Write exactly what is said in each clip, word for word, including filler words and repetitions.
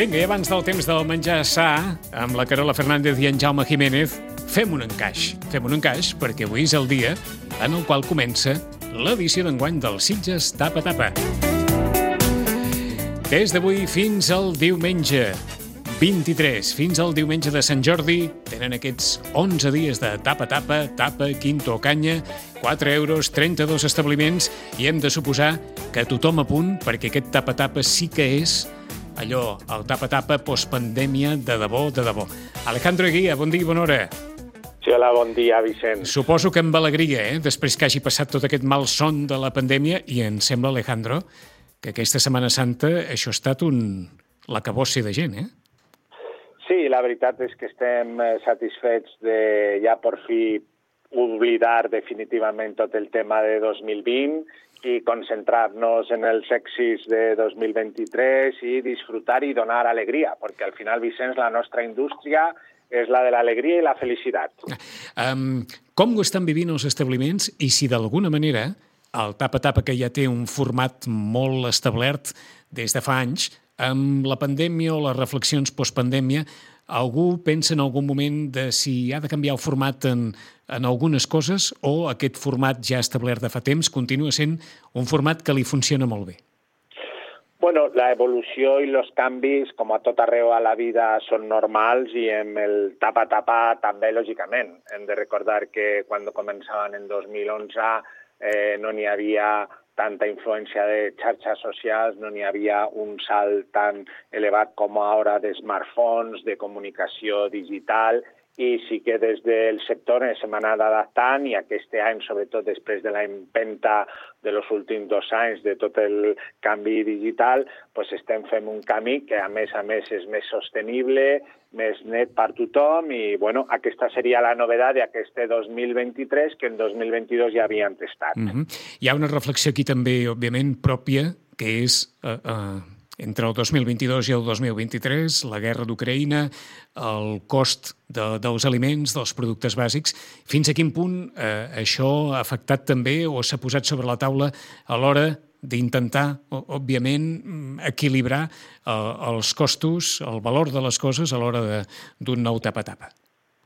Vinga, i abans del temps del menjar sa, amb la Carola Fernández i en Jaume Jiménez, fem un encaix. Fem un encaix perquè avui és el dia en el qual comença l'edició d'enguany del Sitges Tapa Tapa. Des d'avui fins al diumenge vint-i-tres, fins al diumenge de Sant Jordi, tenen aquests onze dies de tapa-tapa, tapa, quinto o canya, quatre euros, trenta-dos establiments, i hem de suposar que tothom a punt, perquè aquest tapa-tapa sí que és allò, el tapa-tapa postpandèmia de debò, de debò. Alejandro Eguía, bon dia i bona hora. Sí, hola, bon dia, Vicent. Suposo que amb alegria, eh? Després que hagi passat tot aquest mal son de la pandèmia, i em sembla, Alejandro, que aquesta Setmana Santa això ha estat un l'acabossi de gent, eh? Sí, la veritat és que estem satisfets de ja per fi oblidar definitivament tot el tema de dos mil vint i concentrar-nos en els èxits de dos mil vint-i-tres i disfrutar i donar alegria, perquè al final, Vicenç, la nostra indústria és la de l'alegria i la felicitat. Um, com ho estan vivint els establiments i si d'alguna manera el tapa-tapa, que ja té un format molt establert des de fa anys, amb la pandèmia o les reflexions postpandèmia, algú pensa en algun moment de si ha de canviar el format en, en algunes coses o aquest format ja establert de fa temps continua sent un format que li funciona molt bé? Bueno, la evolució i els canvis, com a tot arreu a la vida, són normals i amb el tapa-tapa també, lògicament. Hem de recordar que quan començaven en dos mil onze eh, no n'hi havia tanta influència de xarxes socials, no n'hi havia un salt tan elevat com ara de smartphones, de comunicació digital, i sí que des del sector ens hem anat adaptant i aquest any, sobretot després de la empenta de los últims dos anys de tot el canvi digital, pues estem fent un camí que a més a més és més sostenible, més net per tothom i bueno, aquesta seria la novetat d'aquest dos mil vint-i-tres que en dos mil vint-i-dos ja havien testat. Mm-hmm. Hi ha una reflexió aquí també, òbviament, pròpia, que és eh, eh, entre el dos mil vint-i-dos i el dos mil vint-i-tres, la guerra d'Ucraïna, el cost de, dels aliments, dels productes bàsics. Fins a quin punt eh, això ha afectat també o s'ha posat sobre la taula a l'hora d'intentar, òbviament, equilibrar eh, els costos, el valor de les coses a l'hora d'un nou tapa-tapa?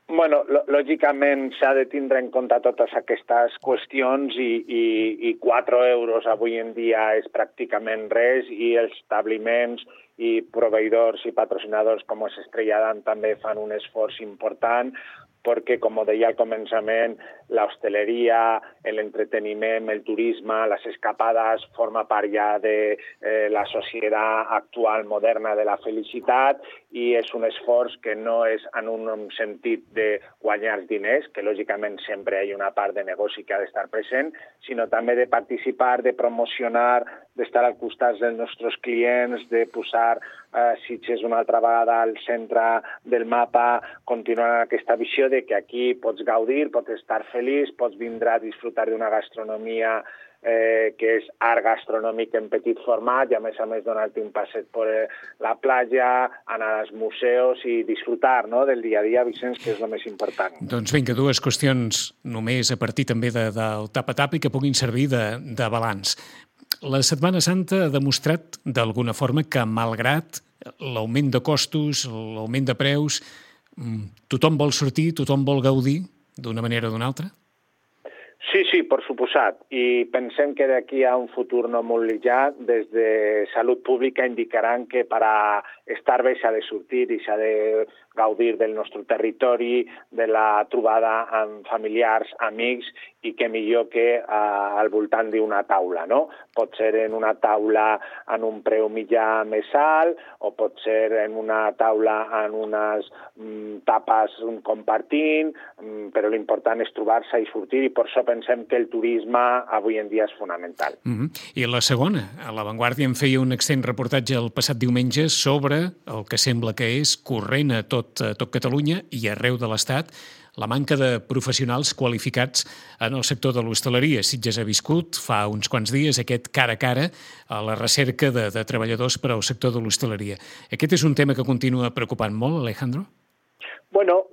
Bueno, lògicament s'ha de tindre en compte totes aquestes qüestions i, i, i quatre euros avui en dia és pràcticament res i els establiments i proveïdors i patrocinadors com es Estrella Damm també fan un esforç important perquè, com deia al començament, l'hostaleria, l'entreteniment, el turisme, les escapades, forma part ja de eh, la societat actual moderna de la felicitat i és un esforç que no és en un sentit de guanyar diners, que lògicament sempre hi ha una part de negoci que ha d'estar present, sinó també de participar, de promocionar, d'estar al costat dels nostres clients, de posar eh, Sitges una altra vegada al centre del mapa, continuant aquesta visió de que aquí pots gaudir, pots estar feliç, pots vindre a disfrutar d'una gastronomia eh, que és art gastronòmic en petit format i a més a més donar-te un passeig per la platja, anar als museus i disfrutar, no?, del dia a dia, Vicenç, que és el més important. Doncs vinga, dues qüestions només a partir també de, del tapa-tapa i que puguin servir de, de balanç. La Setmana Santa ha demostrat d'alguna forma que, malgrat l'augment de costos, l'augment de preus, tothom vol sortir, tothom vol gaudir d'una manera o d'una altra? Sí, sí, per suposat. I pensem que d'aquí a un futur no molt llunyà, des de Salut Pública indicaran que per a estar bé s'ha de sortir i s'ha de gaudir del nostre territori, de la trobada amb familiars, amics, i que millor que uh, al voltant d'una taula, no? Pot ser en una taula en un preu mitjà més alt, o pot ser en una taula en unes mm, tapes compartint, mm, però l'important és trobar-se i sortir, i per això pensem que el turisme avui en dia és fonamental. Mm-hmm. I la segona, a La Vanguardia en feia un extens reportatge el passat diumenge sobre el que sembla que és corrent a tot, a tot Catalunya i arreu de l'Estat la manca de professionals qualificats en el sector de l'hostaleria. Sitges ha viscut fa uns quants dies aquest cara a cara a la recerca de, de treballadors per al sector de l'hostaleria. Aquest és un tema que continua preocupant molt, Alejandro? Bueno,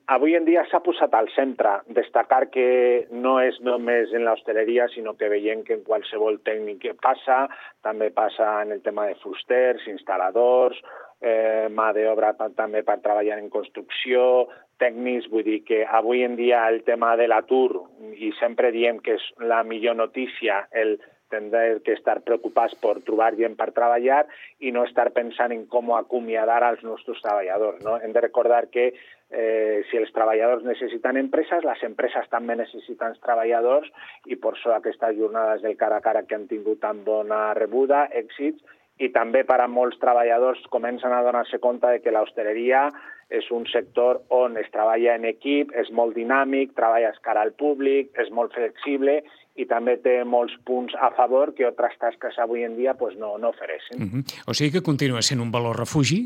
avui en dia s'ha posat al centre. Destacar que no és només en l'hostaleria, sinó que veiem que en qualsevol tècnic passa, també passa en el tema de fusters, instal·ladors, eh, mà d'obra també per treballar en construcció, tècnics, vull dir que avui en dia el tema de l'atur, i sempre diem que és la millor notícia, el tindre que estar preocupats per trobar gent per treballar i no estar pensant en com acomiadar als nostres treballadors, no? Hem de recordar que eh, si els treballadors necessiten empreses, les empreses també necessiten treballadors i per això aquestes jornades del cara a cara que han tingut tan bona rebuda, èxits, i també per a molts treballadors comencen a donar-se compte de que l'hostaleria és un sector on es treballa en equip, és molt dinàmic, treballes cara al públic, és molt flexible i també té molts punts a favor que altres tasques avui en dia pues, no, no ofereixen. Uh-huh. O sigui que continua sent un valor refugi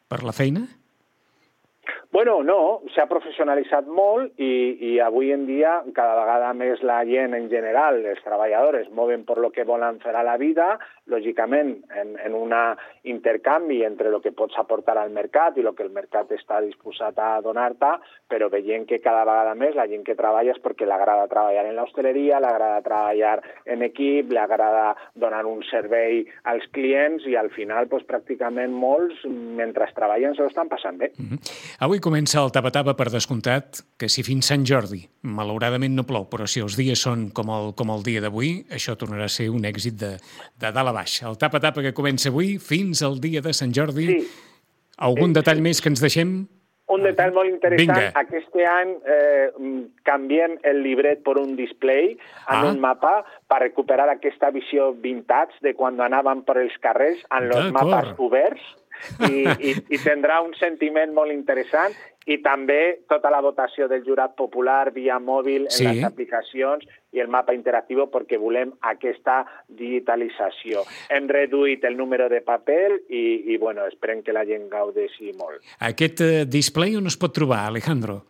per la feina? Bueno, no, s'ha professionalitzat molt i, i avui en dia cada vegada més la gent en general, els treballadors, mouen per lo que volen fer a la vida, lògicament en, en un intercanvi entre el que pots aportar al mercat i el que el mercat està disposat a donar-te, però veient que cada vegada més la gent que treballa és perquè l'agrada treballar en l'hostaleria, l'agrada treballar en equip, l'agrada donar un servei als clients i al final pues, pràcticament molts, mentre treballen, se ho estan passant bé. Mm-hmm. Avui comença el tapa-tapa, per descomptat, que si fins Sant Jordi, malauradament no plou, però si els dies són com el, com el dia d'avui, això tornarà a ser un èxit de, de dalt a baix. El tapa-tapa que comença avui fins al dia de Sant Jordi. Sí. Algun sí, detall sí. més que ens deixem? Un detall molt interessant. Vinga. Aquest any eh, canviem el llibret per un display en ah. un mapa per recuperar aquesta visió vintage de quan anàvem per els carrers en els mapes oberts. I, i, i tindrà un sentiment molt interessant i també tota la votació del jurat popular via mòbil en sí. les aplicacions i el mapa interactiu perquè volem aquesta digitalització. Hem reduït el número de paper i, i bueno, esperem que la gent gaudeixi molt. Aquest uh, display on es pot trobar, Alejandro?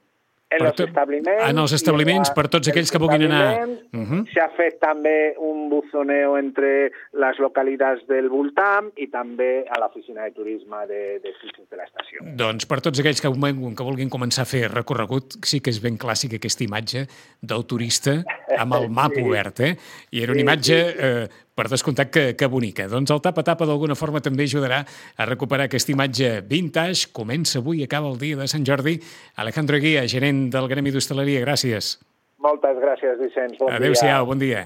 En els establiments. En els establiments, per tots aquells que vulguin anar. Uh-huh. S'ha fet també un buzoneo entre les localitats del voltant i també a l'oficina de turisme de, de Sitges de l'estació. Doncs per tots aquells que, que vulguin començar a fer recorregut, sí que és ben clàssica aquesta imatge del turista amb el mapa sí. obert, eh? I era una sí, imatge... Sí. Eh, per descomptat que, que bonica. Doncs el tapa-tapa d'alguna forma també ajudarà a recuperar aquesta imatge vintage. Comença avui i acaba el dia de Sant Jordi. Alejandro Eguía, gerent del Gremi d'Hostaleria, gràcies. Moltes gràcies, Vicenç. Bon Adéu-siau, dia. bon dia.